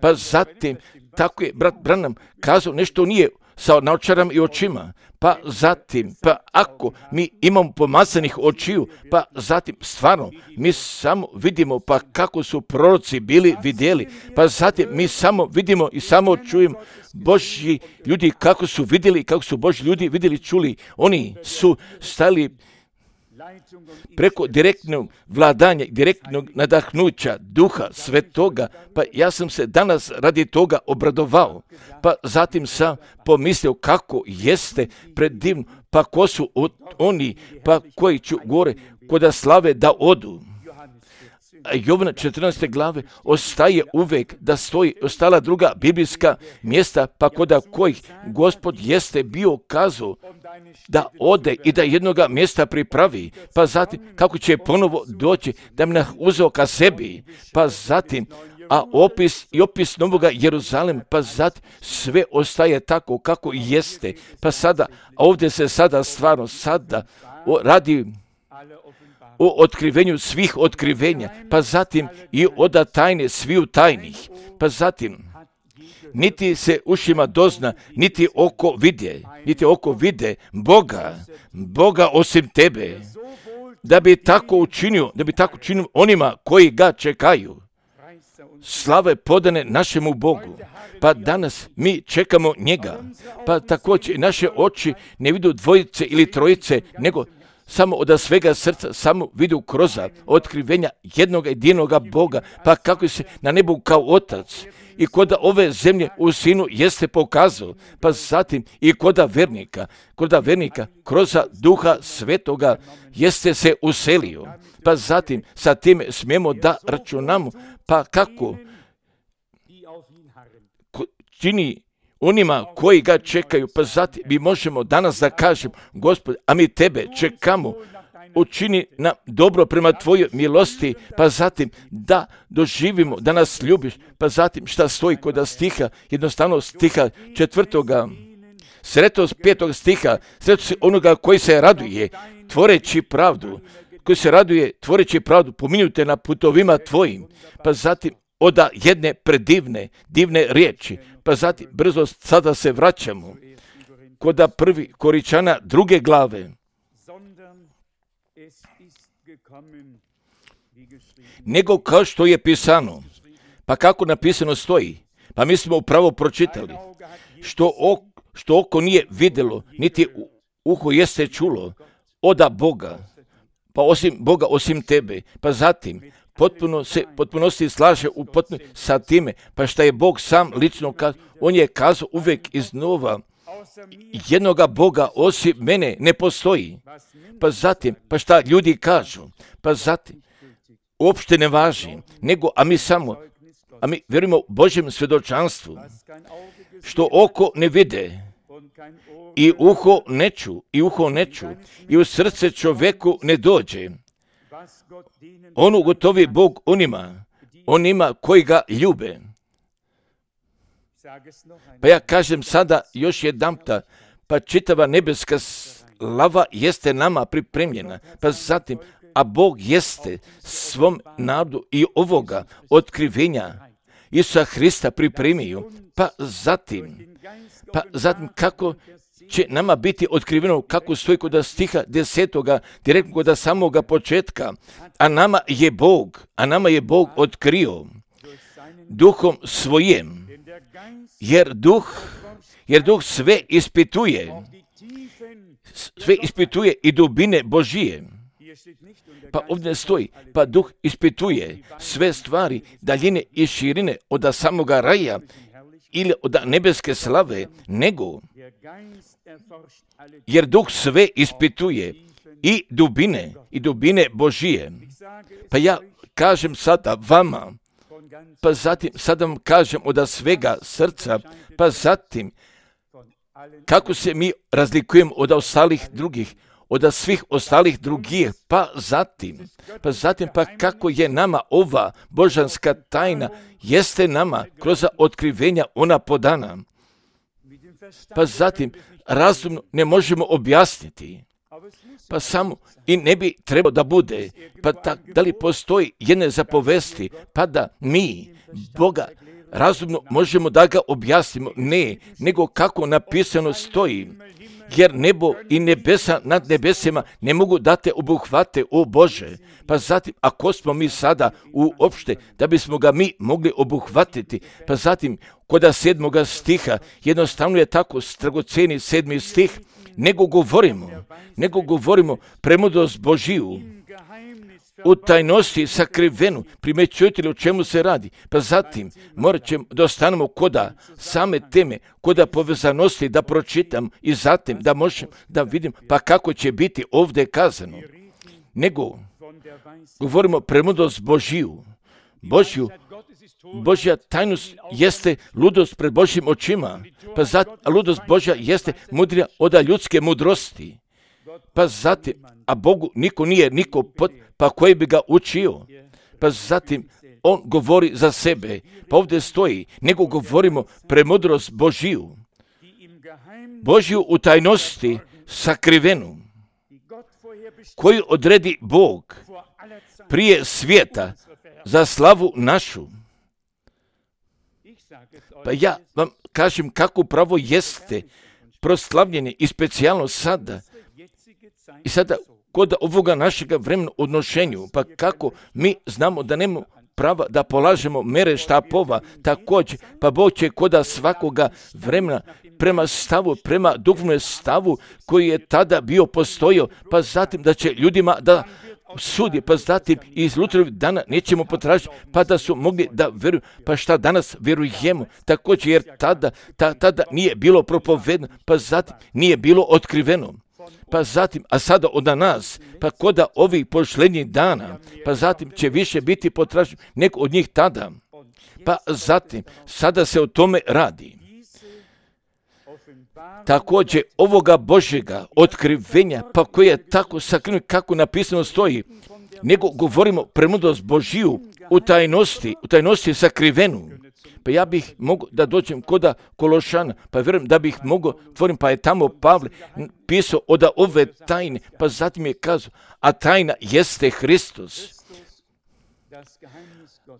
[SPEAKER 1] Pa zatim, tako je brat Branham kazao, nešto nije sa naočaram i očima. Pa zatim, pa ako mi imamo pomazanih očiju, pa zatim stvarno mi samo vidimo pa kako su proroci bili vidjeli. Pa zatim mi samo vidimo i samo čujemo Božji ljudi kako su vidjeli, kako su Božji ljudi vidjeli, čuli. Oni su stali preko direktnog vladanja, direktnog nadahnuća Duha Svetoga, pa ja sam se danas radi toga obradovao, pa zatim sam pomislio kako jeste predivno, pa ko su oni, pa koji ću gore koda slave da odu. A Jovana 14. glave ostaje uvek da stoji ostala druga biblijska mjesta, pa koda kojih Gospod jeste bio kazao da ode i da jednoga mjesta pripravi, pa zatim kako će ponovo doći da mi uzeo ka sebi, pa zatim a opis novoga Jeruzalema, pa zatim sve ostaje tako kako jeste, pa sada, a ovdje se sada stvarno radi o otkrivenju svih otkrivenja, pa zatim i oda tajne sviju tajnih, pa zatim niti se ušima dozna, niti oko vide Boga osim tebe, da bi tako učinio onima koji ga čekaju. Slave podane našemu Bogu, pa danas mi čekamo njega, pa također naše oči ne vidu dvojice ili trojice, nego samo od svega srca, samo vidu kroz otkrivenja jednog jedinoga Boga, pa kako se na nebu kao Otac i koda ove zemlje u Sinu jeste pokazao, pa zatim i koda vernika kroz Duha Svetoga jeste se uselio, pa zatim sa time smijemo da računamo, pa kako čini onima koji ga čekaju, pa zatim mi možemo danas da kažemo, Gospod, a mi tebe čekamo, učini nam dobro prema tvojoj milosti, pa zatim da doživimo, da nas ljubiš, pa zatim šta stoji kod stiha, jednostavno stiha 4. Sretost 5. stiha, sretost onoga koji se raduje, tvoreći pravdu, koji se raduje, tvoreći pravdu, pominjute na putovima tvojim, pa zatim oda jedne predivne, divne riječi, pa zatim brzo sada se vraćamo koda 1. Koričana 2. glave. Nego kao što je pisano, pa kako napisano stoji, pa mi smo upravo pročitali, što oko nije vidjelo, niti uho jeste čulo, oda Boga, pa osim Boga, osim tebe, pa zatim potpunosti slaže u potpunosti sa time, pa šta je Bog sam lično kazao, on je kazao uvijek iznova, jednoga Boga osim mene ne postoji, pa zatim, pa šta ljudi kažu, pa zatim, uopšte ne važi, nego, a mi vjerujemo Božjem svjedočanstvu, što oko ne vide, i uho ne ču, i u srce čovjeku ne dođe. On ugotovi Bog onima koji ga ljube. Pa ja kažem sada još jedanputa, pa čitava nebeska slava jeste nama pripremljena, pa zatim, a Bog jeste svom narodu i ovoga otkrivenja Isusa Hrista pripremio, pa zatim kako će nama biti otkriveno, kako stoji kod stiha 10. direktno kod samoga početka, a nama je Bog otkrio duhom svojim, jer duh sve ispituje i dubine Božije. Pa ovdje stoji, pa duh ispituje sve stvari, daljine i širine od samoga raja ili od nebeske slave, nego jer duh sve ispituje i dubine Božije. Pa ja kažem sada vama, pa zatim sada vam kažem od svega srca, pa zatim kako se mi razlikujemo od ostalih drugih, od svih ostalih drugih, pa zatim kako je nama ova božanska tajna, jeste nama kroz otkrivenja ona podana. Pa zatim razumno ne možemo objasniti, pa samo i ne bi trebalo da bude, pa da li postoji jedne zapovesti, pa da mi Boga razumno možemo da ga objasnimo, ne, nego kako napisano stoji, jer nebo i nebesa nad nebesima ne mogu da te obuhvate, o Bože. Pa zatim, ako smo mi sada uopšte, da bismo ga mi mogli obuhvatiti, pa zatim, kod 7. stiha, jednostavno je tako dragoceni 7. stih, nego govorimo premudrost Božiju, u tajnosti sakrivenu, primećujete li o čemu se radi, pa zatim morat ćemo da ostanemo koda same teme, koda povezanosti da pročitam i zatim da možemo da vidim pa kako će biti ovdje kazano. Nego govorimo premudrost Božiju. Božja tajnost jeste ludost pred Božjim očima, pa zatim ludost Božja jeste mudrija od ljudske mudrosti. Pa zatim, a Bogu niko pa koji bi ga učio. Pa zatim, on govori za sebe. Pa ovdje stoji, nego govorimo premudrost Božiju. Božju u tajnosti sakrivenu, koju odredi Bog prije svijeta za slavu našu. Pa ja vam kažem kako pravo jeste proslavljeni i specijalno sada. I sada kod ovoga našega vremena odnošenju, pa kako mi znamo da nemamo prava da polažemo mere štapova, također, pa Bog će kod svakoga vremena prema duhovnom stavu koji je tada bio postojao, pa zatim da će ljudima da sudi, pa zatim iz Luterovih dana nećemo potražiti, pa da su mogli da vjeruju, pa šta danas vjerujemo, također jer tada nije bilo propovedno, pa zatim nije bilo otkriveno. Pa zatim, a sada od nas, pa koda ovih posljednjih dana, pa zatim će više biti potraženo nego od njih tada. Pa zatim, sada se o tome radi. također ovoga Božjega otkrivenja, pa koje je tako sakriven kako napisano stoji, nego govorimo premudrost Božiju u tajnosti sakrivenu. Pa ja bih mogao da dođem koda Kološana, pa vjerujem da bih mogao tvorim, pa je tamo Pavle pisao od ove tajne, pa zatim je kazao, a tajna jeste Hristos.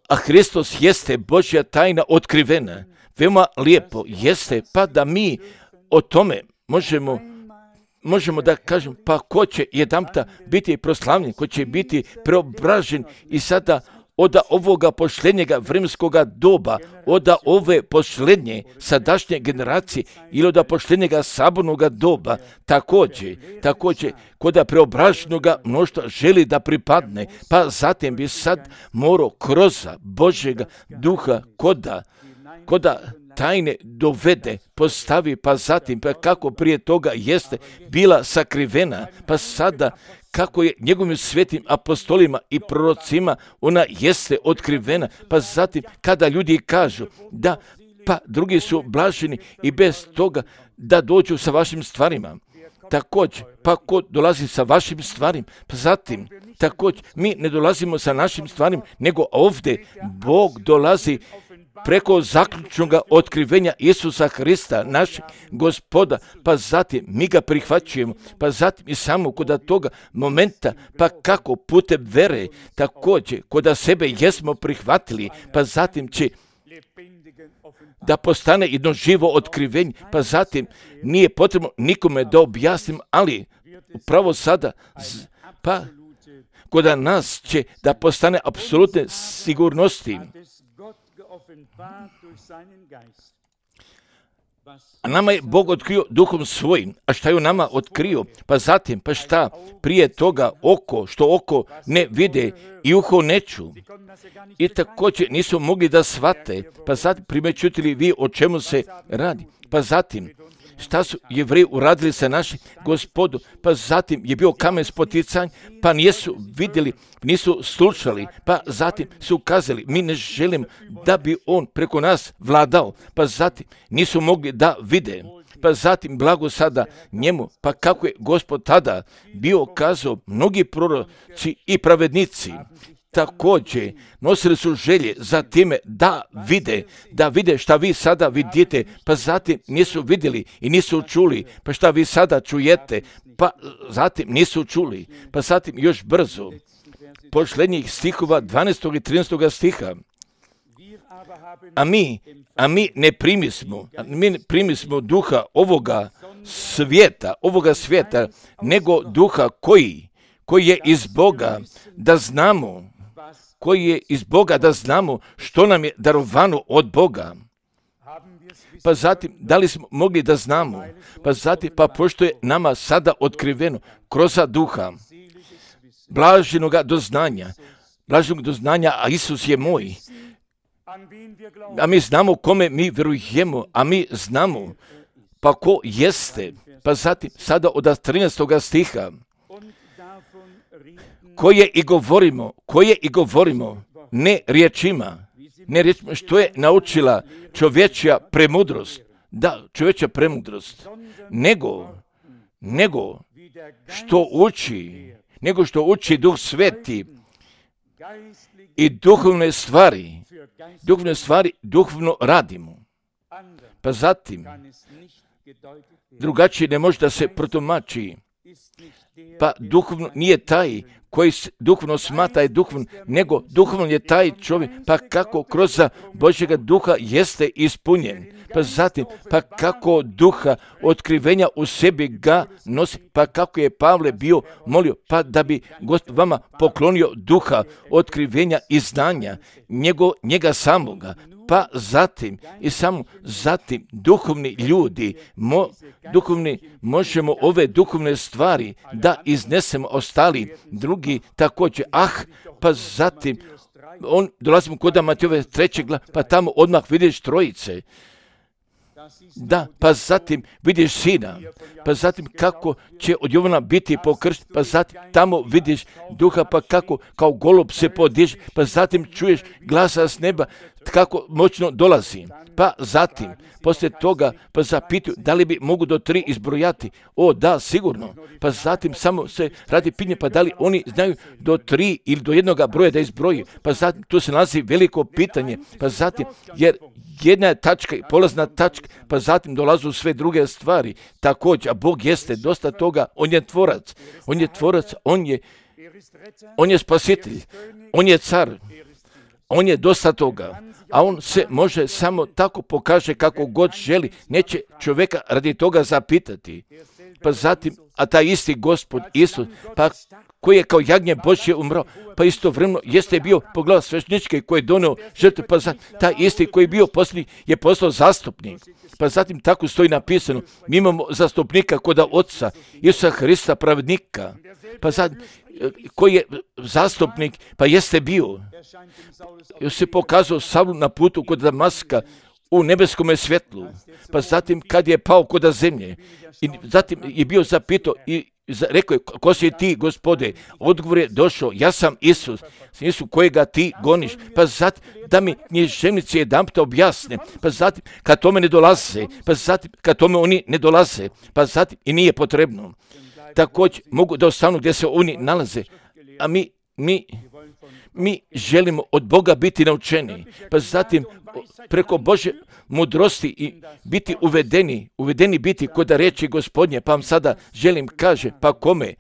[SPEAKER 1] A Hristos jeste Božja tajna otkrivena. Veoma lijepo jeste, pa da mi o tome možemo da kažem, pa ko će jedanputa biti proslavljen, ko će biti preobražen i sada od ovoga posljednjega vremenskoga doba, od ove posljednje sadašnje generacije ili od posljednjega sabornoga doba, također koda preobraženoga mnoštva želi da pripadne, pa zatim bi sad morao kroz Božjega duha koda tajne dovede, postavi, pa zatim, pa kako prije toga jeste bila sakrivena, pa sada kako je njegovim svetim apostolima i prorocima ona jeste otkrivena, pa zatim kada ljudi kažu da pa drugi su blaženi i bez toga da dođu sa vašim stvarima. Također, pa ko dolazi sa vašim stvarima, pa zatim, također, mi ne dolazimo sa našim stvarima, nego ovdje Bog dolazi preko zaključnog otkrivenja Isusa Hrista, našeg Gospoda, pa zatim mi ga prihvaćujemo, pa zatim i samo kod toga momenta, pa kako putem vere, također kod sebe jesmo prihvatili, pa zatim će da postane jedno živo otkrivenje, pa zatim nije potrebno nikome da objasnim, ali upravo sada, pa kod nas će da postane apsolutne sigurnosti. A nama je Bog otkrio duhom svojim. A šta je u nama otkrio? Pa zatim, pa šta? Prije toga što oko ne vide i uho ne ču. I također nisu mogli da shvate. Pa zatim primećutili vi o čemu se radi. Pa zatim, šta su Jevreji uradili sa našim Gospodom, pa zatim je bio kamen spoticanja, pa nisu vidjeli, nisu slušali, pa zatim su kazali, mi ne želimo da bi on preko nas vladao, pa zatim nisu mogli da vide, pa zatim blago sada njemu, pa kako je Gospod tada bio kazao, mnogi proroci i pravednici, također nosili su želje za time da vide šta vi sada vidite, pa zatim nisu vidjeli i nisu čuli, pa šta vi sada čujete, pa zatim nisu čuli, pa zatim još brzo, posljednjih stihova 12. i 13. stiha, a mi ne primismo duha ovoga svijeta, nego duha koji je iz Boga, da znamo, što nam je darovano od Boga. Pa zatim, da li smo mogli da znamo? Pa zatim, pa pošto je nama sada otkriveno kroz duha, blaženog doznanja, a Isus je moj. A mi znamo kome mi vjerujemo, a mi znamo pa ko jeste. Pa zatim, sada od 13. stiha, koje i govorimo, ne riječima, što je naučila čovječja premudrost, nego što uči Duh Sveti i duhovne stvari duhovno radimo. Pa zatim, drugačije ne može da se protumači. Pa duhovno nije taj koji duhovno smatra je duhovno, nego duhovno je taj čovjek, pa kako kroz Božjega duha jeste ispunjen. Pa zatim, pa kako duha otkrivenja u sebi ga nosi, pa kako je Pavle bio molio, pa da bi Gospod vama poklonio duha otkrivenja i znanja, njega samoga. Pa zatim i samo zatim duhovni ljudi, možemo ove duhovne stvari da iznesemo, ostali drugi također. Pa zatim dolazimo kod Matejove 3. glave, pa tamo odmah vidiš trojice. Da, pa zatim vidiš sina, pa zatim kako će od Jovana biti pokršten, pa zatim tamo vidiš duha, pa kako kao golub se podiže, pa zatim čuješ glasa s neba, kako moćno dolazi. Pa zatim, poslije toga, pa zapituju da li bi mogu do 3 izbrojati. O, da, sigurno. Pa zatim samo se radi pitanje, pa da li oni znaju do 3 ili do jednoga broja da izbroji. Pa zatim, tu se nalazi veliko pitanje. Pa zatim, jer jedna je tačka, polazna tačka, pa zatim dolazu sve druge stvari. Također, a Bog jeste dosta toga, on je tvorac. On je tvorac, on je spasitelj, on je car, on je dosta toga. A on se može samo tako pokaže kako god želi, neće čovjeka radi toga zapitati. Pa zatim, a taj isti Gospod Isus, pa koji je kao jagnje Božje umrao, pa istovremeno jeste bio pogledao svešteničke koji je donio žrtvu, pa taj isti koji je bio posljednji je postao zastupnik. Pa zatim tako stoji napisano, mi imamo zastupnika kod Oca, Isusa Hrista pravednika, pa zatim, koji je zastupnik, pa jeste bio. Još se pokazao Savlu na putu kod Damaska u nebeskome svjetlu, pa zatim kad je pao kod zemlje, i zatim je bio zapitao i rekao je, ko si ti, Gospode? Odgovor je došao, ja sam Isus kojega ti goniš. Pa zatim da mi književnici jedanput objasne, pa zatim kad tome ne dolaze, pa zatim kad tome oni ne dolaze, pa zatim i nije potrebno. Također mogu da ostanu gdje se oni nalaze, a mi želimo od Boga biti naučeni, pa zatim preko Božje mudrosti i biti uvedeni biti kod riječi Gospodnje, pa vam sada želim kaže, pa kome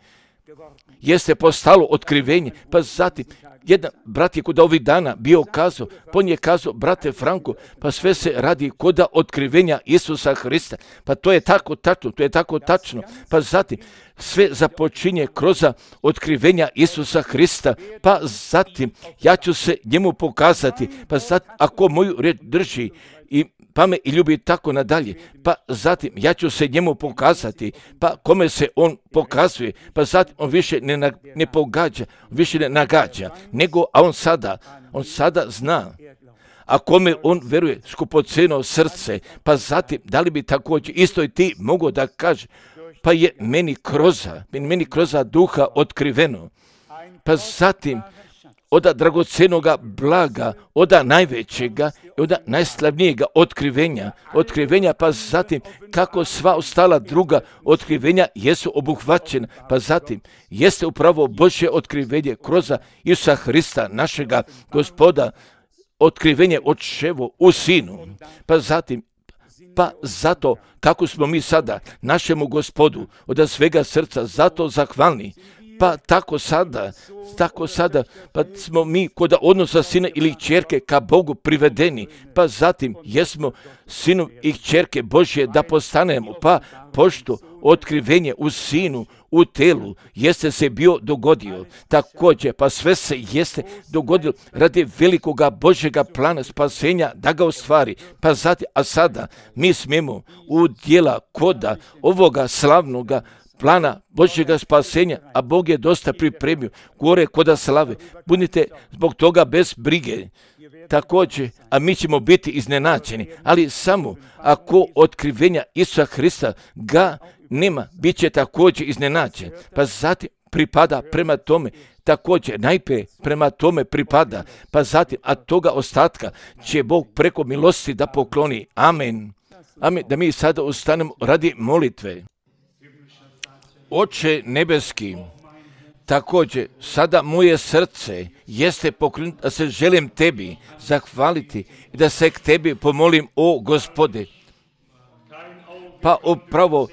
[SPEAKER 1] jeste postalo otkrivenje, pa zatim jedan brat je kod ovih dana bio kazao, on je kazao, brate Franko, pa sve se radi kod otkrivenja Isusa Hrista, pa to je tako tačno, pa zatim sve započinje kroz otkrivenja Isusa Hrista, pa zatim ja ću se njemu pokazati, pa zatim ako moju riječ drži i pa me i ljubi tako nadalje, pa zatim ja ću se njemu pokazati, pa kome se on pokazuje, pa zatim on više ne pogađa, više ne nagađa, nego a on sada zna, a kome on veruje skupocjeno srce, pa zatim da li bi također isto i ti mogao da kaže, pa je meni kroz duha otkriveno, pa zatim od dragocjenoga blaga, od najvećega i od najslavnijega otkrivenja, pa zatim kako sva ostala druga otkrivenja jesu obuhvaćena, pa zatim jeste upravo Božje otkrivenje kroz Isusa Hrista, našega Gospoda, otkrivenje očevo u Sinu, pa zatim zato kako smo mi sada našemu Gospodu od svega srca zato zahvalni, pa tako sada, pa smo mi kod odnosa sina ili kćerke ka Bogu privedeni, pa zatim jesmo sinu i kćerke Božje da postanemo, pa pošto otkrivenje u sinu, u telu, jeste se bio dogodio. Također, pa sve se jeste dogodilo radi velikoga Božjega plana spasenja da ga ostvari. Pa zatim, a sada mi smijemo u djela koda ovoga slavnoga plana Božjega spasenja, a Bog je dosta pripremio gore koda slave. Budite zbog toga bez brige. Također, a mi ćemo biti iznenađeni, ali samo ako otkrivenja Isusa Hrista ga nema, bit će također iznenađen. Pa zatim pripada prema tome, također najprije prema tome pripada, pa zatim, a toga ostatka će Bog preko milosti da pokloni. Amen. Amen. Da mi sada ustanemo radi molitve. Oče nebeski, također sada moje srce jeste pokrenuto da se želim tebi zahvaliti i da se k tebi pomolim, o Gospode. Pa upravo,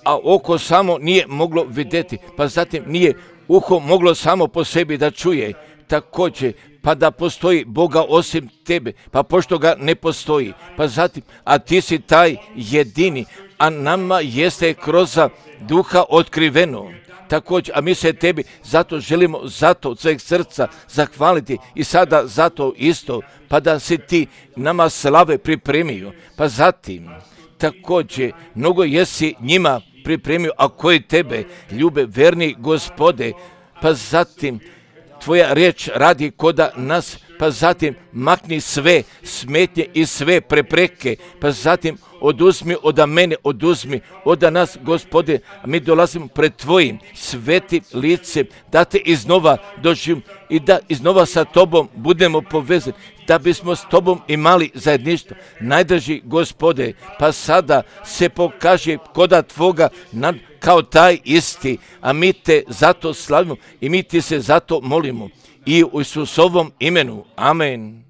[SPEAKER 1] a oko samo nije moglo vidjeti, pa zatim nije uho moglo samo po sebi da čuje, također, pa da postoji Boga osim tebe, pa pošto ga ne postoji, pa zatim, a ti si taj jedini, a nama jeste kroz duha otkriveno. Također, a mi se tebi zato želimo zato od sveg srca zahvaliti i sada zato isto, pa da si ti nama slave pripremio, pa zatim također mnogo jesi njima pripremio, a koji tebe ljube, verni Gospode, pa zatim tvoja riječ radi koda nas, pa zatim makni sve smetnje i sve prepreke, pa zatim oduzmi od mene, oduzmi od nas, Gospode, a mi dolazimo pred Tvojim sveti lice, da Te iznova doživimo i da iznova sa Tobom budemo povezani, da bismo s Tobom imali zajedništvo. Najdraži Gospode, pa sada se pokaže koda Tvoga kao taj isti, a mi Te zato slavimo i mi Ti se zato molimo. I u Isusovom imenu. Amen.